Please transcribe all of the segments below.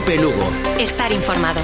Cope Lugo. Estar informado.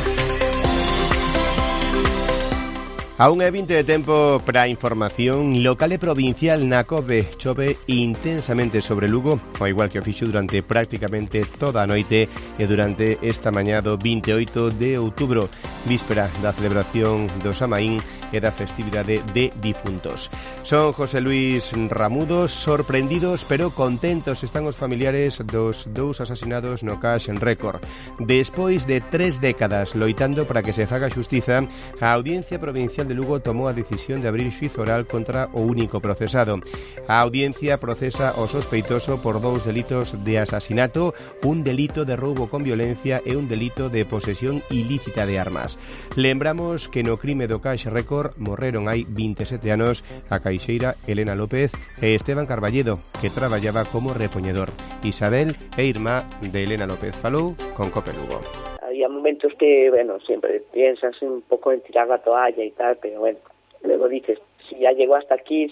A 1:20 de tempo para a información local e provincial na COPE. Chove intensamente sobre Lugo, ao igual que o fixo durante prácticamente toda a noite e durante esta mañá do 28 de outubro, víspera da celebración do Samaín e da festividade de difuntos. Son José Luis Ramudo. Sorprendidos pero contentos están os familiares dos dous asasinados no Cash Record. Despois de 3 décadas loitando para que se faga xustiza, a Audiencia Provincial de Lugo tomou a decisión de abrir xuízo oral contra o único procesado. A audiencia procesa o sospeitoso por 2 delitos de asasinato, un delito de roubo con violencia e un delito de posesión ilícita de armas. Lembramos que no crime do Cash Record morreron hai 27 anos a caixeira Elena López e Esteban Carballedo, que traballaba como repoñedor. Isabel é irmá de Elena López. Falou con Cope Lugo. Había momentos que, bueno, siempre piensas un poco en tirar la toalla y tal, pero bueno, luego dices, si ya llegó hasta aquí,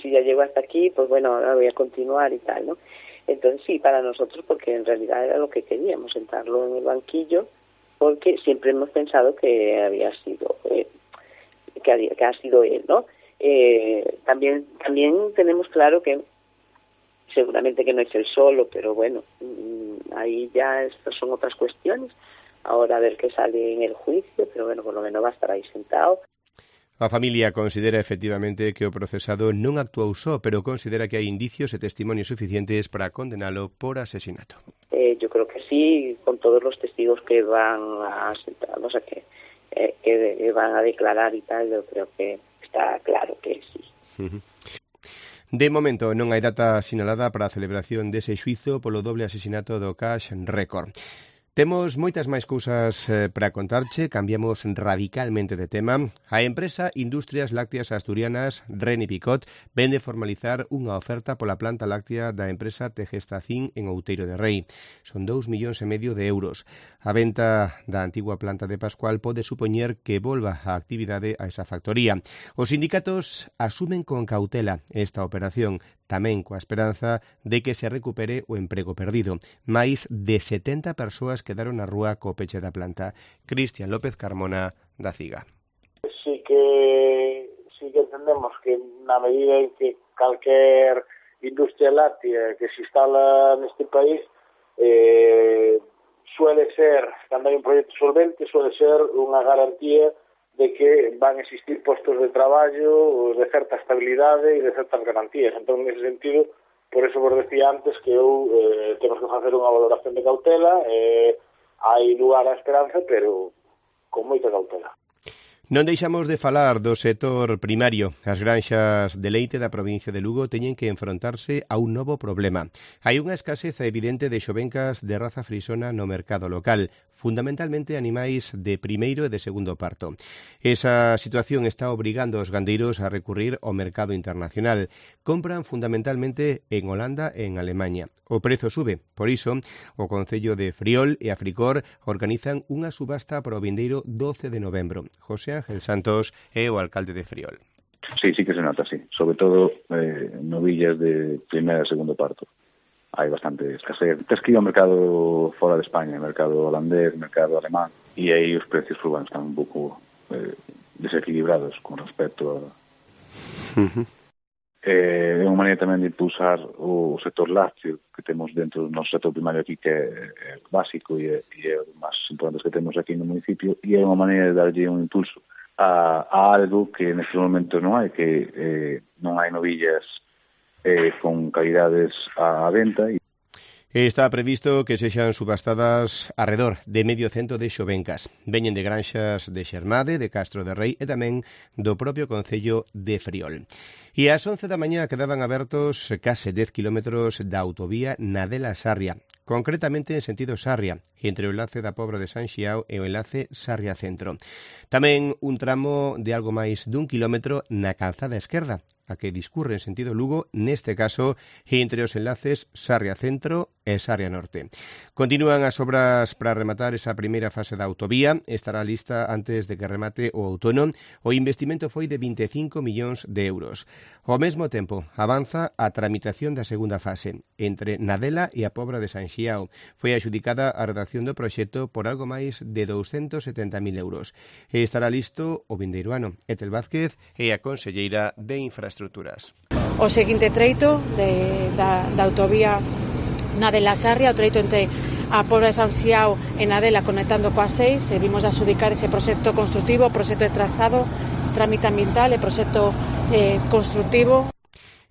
pues bueno, ahora voy a continuar y tal, ¿no? Entonces sí, para nosotros, porque en realidad era lo que queríamos, sentarlo en el banquillo, porque siempre hemos pensado que había sido, que ha sido él, ¿no? También tenemos claro que seguramente que no es él solo, pero bueno, ahí ya estas son otras cuestiones. Ahora a ver qué sale en el juicio, pero bueno, por lo menos va a estar aí sentado. A familia considera efectivamente que o procesado non actuou só, pero considera que hai indicios e testimonios suficientes para condenalo por asesinato. Yo creo que sí, con todos los testigos que van a sentar, o sea, que van a declarar y tal, yo creo que está claro que sí. De momento non hai data sinalada para a celebración dese xuízo polo doble asesinato do Cash Record. Temos moitas máis cousas para contarche, cambiamos radicalmente de tema. A empresa Industrias Lácteas Asturianas, Reni Picot, vende formalizar unha oferta pola planta láctea da empresa Tegestacín en Outeiro de Rei. Son 2,5 millóns de euros. A venta da antigua planta de Pascual pode supoñer que volva a actividade a esa factoría. Os sindicatos asumen con cautela esta operación, tamén coa esperanza de que se recupere o emprego perdido. Máis de 70 persoas quedaron na rúa co peche da planta. Cristian López Carmona, da CIGA. Sí que entendemos que na medida en que calquer industria láctea que se instala neste país suele ser, cando hai un proxecto solvente, suele ser unha garantía de que van a existir postos de traballo de certa estabilidade e de certas garantías. Entón, nese sentido, por eso vos decía antes que temos que facer unha valoración de cautela, hai lugar á esperanza, pero con moita cautela. Non deixamos de falar do sector primario. As granxas de leite da provincia de Lugo teñen que enfrontarse a un novo problema. Hai unha escaseza evidente de xovencas de raza frisona no mercado local, fundamentalmente animais de primeiro e de segundo parto. Esa situación está obrigando aos gandeiros a recurrir ao mercado internacional. Compran fundamentalmente en Holanda e en Alemaña. O prezo sube, por iso, o Concello de Friol e a Fricor organizan unha subasta para o vindeiro 12 de novembro. José Ángel Santos é o alcalde de Friol. Sí que se nota, sí. Sobre todo novillas de primeira e segundo parto. Hai bastante escasez. Tens que ir ao mercado fora de España, mercado holandés, mercado alemán, e aí os precios están un pouco desequilibrados con respecto a... É unha maneira tamén de impulsar o sector lácteo que temos dentro do noso sector primario aquí, que é básico e é o máis importante que temos aquí no municipio, e é unha maneira de darlle un impulso a algo que neste momento non hai, que non hai novillas con calidades á venta. Está previsto que sexan subastadas arredor de medio cento de xovencas. Veñen de granxas de Xermade, de Castro de Rei e tamén do propio Concello de Friol. E ás 11 da mañá quedaban abertos case 10 kilómetros da autovía Nadela Sarria, concretamente en sentido Sarria, entre o enlace da Pobra de San Xiao e o enlace Sarria Centro. Tamén un tramo de algo máis dun kilómetro na calzada esquerda, a que discurre en sentido Lugo, neste caso entre os enlaces Sarria Centro e Sarria Norte. Continúan as obras para rematar esa primeira fase da autovía, estará lista antes de que remate o outono. O investimento foi de 25 millóns de euros. Ao mesmo tempo, avanza a tramitación da segunda fase. Entre Nadela e a Pobra de San Xiao foi adxudicada a redacción do proxecto por algo máis de 270.000 euros. E estará listo o vindeiro ano. Etel Vázquez é a conselleira de Infraestructuras. O seguinte treito da autovía Nadela-Sarria, o treito entre a Pobra de San Xiao e Nadela conectando coa 6, e vimos adxudicar ese proxecto construtivo, proxecto de trazado, trámite ambiental e proxecto construtivo.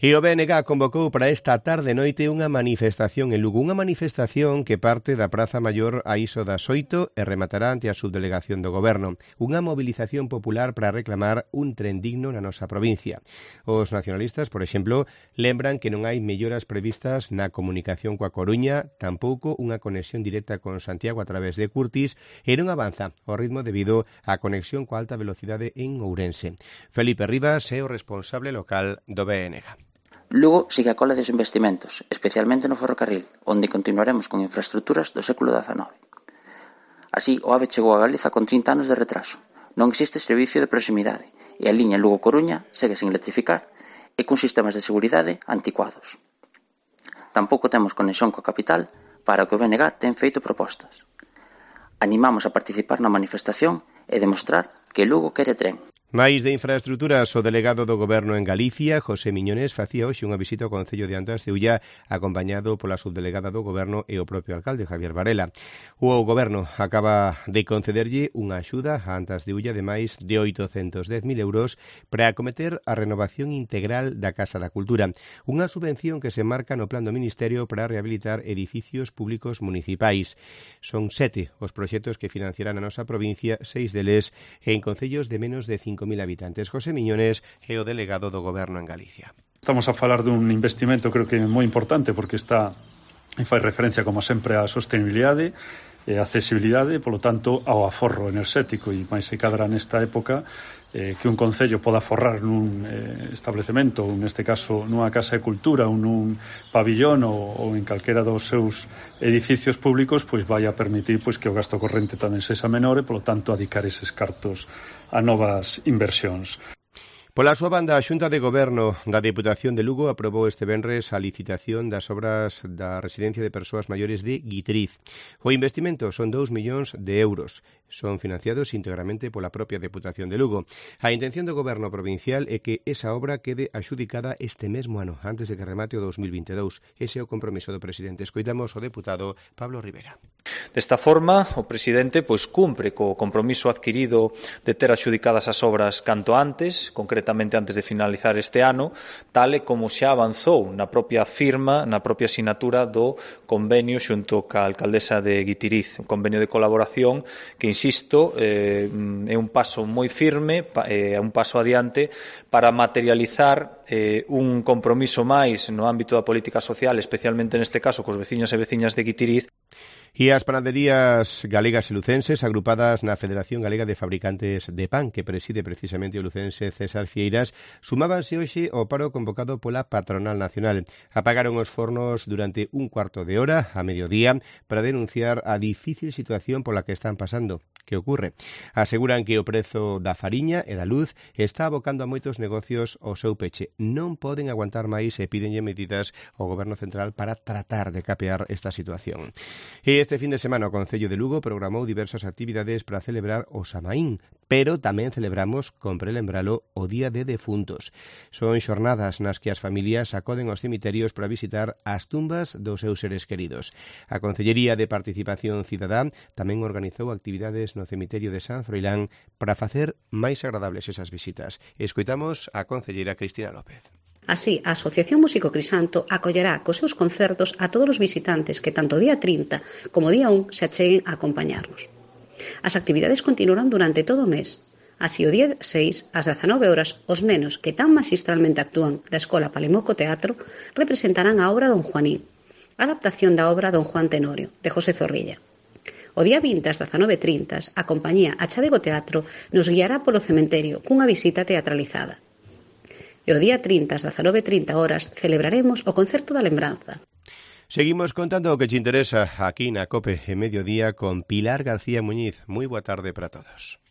E o BNG convocou para esta tarde noite unha manifestación en Lugo, unha manifestación que parte da Praza Maior a iso das 8 e rematará ante a subdelegación do Goberno. Unha movilización popular para reclamar un tren digno na nosa provincia. Os nacionalistas, por exemplo, lembran que non hai melloras previstas na comunicación coa Coruña, tampouco unha conexión directa con Santiago a través de Curtis, e non avanza ao ritmo debido á conexión coa alta velocidade en Ourense. Felipe Rivas é o responsable local do BNG. Lugo sigue a cola dos investimentos, especialmente no ferrocarril, onde continuaremos con infraestructuras do século XIX. Así, o AVE chegou a Galiza con 30 anos de retraso. Non existe servicio de proximidade e a liña Lugo-Coruña segue sen electrificar e con sistemas de seguridade anticuados. Tampouco temos conexión coa capital para o que o BNG ten feito propostas. Animamos a participar na manifestación e demostrar que Lugo quere tren. Máis de infraestructuras, o delegado do Goberno en Galicia, José Miñones, facía hoxe unha visita ao Concello de Antas de Ulla, acompañado pola subdelegada do Goberno e o propio alcalde, Javier Varela. O Goberno acaba de concederlle unha axuda a Antas de Ulla de máis de 810.000 euros para acometer a renovación integral da Casa da Cultura, unha subvención que se marca no plan do Ministerio para rehabilitar edificios públicos municipais. Son 7 os proxectos que financiarán a nosa provincia, 6 deles en concellos de menos de 5.000 habitantes. José Miñones é o delegado do Goberno en Galicia. Estamos a falar dun investimento creo que moi importante porque está e fai referencia como sempre á sostenibilidade e a accesibilidade, polo tanto ao aforro enerxético, e máis se cadra nesta época que un concello poda aforrar nun establecemento, ou neste caso nunha casa de cultura ou nun pabillón ou en calquera dos seus edificios públicos, pois vai a permitir pois que o gasto corrente tamén sexa menor e, polo tanto, adicar eses cartos a novas inversións. Pola súa banda, a Xunta de Goberno da Deputación de Lugo aprobou este venres a licitación das obras da residencia de persoas maiores de Guitriz. O investimento son 2 millóns de euros. Son financiados íntegramente pola propia Deputación de Lugo. A intención do Goberno provincial é que esa obra quede axudicada este mesmo ano, antes de que remate o 2022. Ese é o compromiso do presidente. Escoitamos o deputado Pablo Rivera. Desta forma, o presidente cumpre co compromiso adquirido de ter axudicadas as obras canto antes, concretamente antes de finalizar este ano, tal e como xa avanzou na propia firma, na propia sinatura do convenio xunto ca alcaldesa de Guitiriz, un convenio de colaboración que, insisto, é un paso moi firme, é un paso adiante para materializar un compromiso máis no ámbito da política social, especialmente neste caso cos veciños e veciñas de Guitiriz. E as panaderías galegas e lucenses agrupadas na Federación Galega de Fabricantes de Pan, que preside precisamente o lucense César Fieiras, sumábanse hoxe ao paro convocado pola Patronal Nacional. Apagaron os fornos durante un cuarto de hora a mediodía para denunciar a difícil situación pola que están pasando. Que ocorre? Aseguran que o prezo da fariña e da luz está abocando a moitos negocios ao seu peche. Non poden aguantar máis e pídenlle medidas ao Goberno Central para tratar de capear esta situación. E este fin de semana o Concello de Lugo programou diversas actividades para celebrar o Samaín, pero tamén celebramos, compre lembralo, o Día de Defuntos. Son xornadas nas que as familias acoden aos cemiterios para visitar as tumbas dos seus seres queridos. A Concellería de Participación Cidadá tamén organizou actividades no cemiterio de San Froilán para facer máis agradables esas visitas. Escoitamos a concelleira Cristina López. Así, a Asociación Músico Crisanto acollerá cos seus concertos a todos os visitantes que tanto o día 30 como o día 1 se acheguen a acompañarnos. As actividades continuarán durante todo o mes. Así, o día 6, ás 19 horas, os nenos que tan magistralmente actúan da Escola Palimoco Teatro representarán a obra Don Juanín, adaptación da obra Don Juan Tenorio, de José Zorrilla. O día 20, ás 19:30, a compañía Achadego Teatro nos guiará polo cementerio cunha visita teatralizada. E o día 30, ás 19:30 horas, celebraremos o Concerto da Lembranza. Seguimos contando o que te interesa aquí na COPE en Mediodía con Pilar García Muñiz. Moi boa tarde para todos.